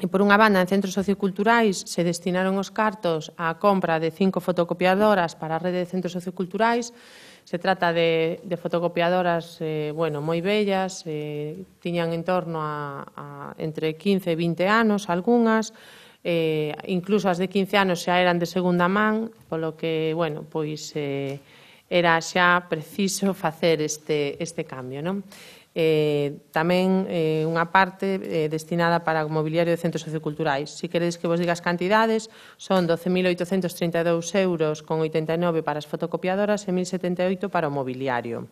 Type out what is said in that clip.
E, por unha banda, en centros socioculturais se destinaron os cartos á compra de 5 fotocopiadoras para a rede de centros socioculturais. Se trata de fotocopiadoras moi vellas, tiñan en torno a entre 15 e 20 anos, algunhas, incluso as de 15 anos xa eran de segunda man, polo que, era xa preciso facer este cambio, non? Tamén unha parte destinada para o mobiliario de centros socioculturais. Si queredes que vos diga as cantidades, son 12.832 euros con 89 para as fotocopiadoras e 1.078 para o mobiliario.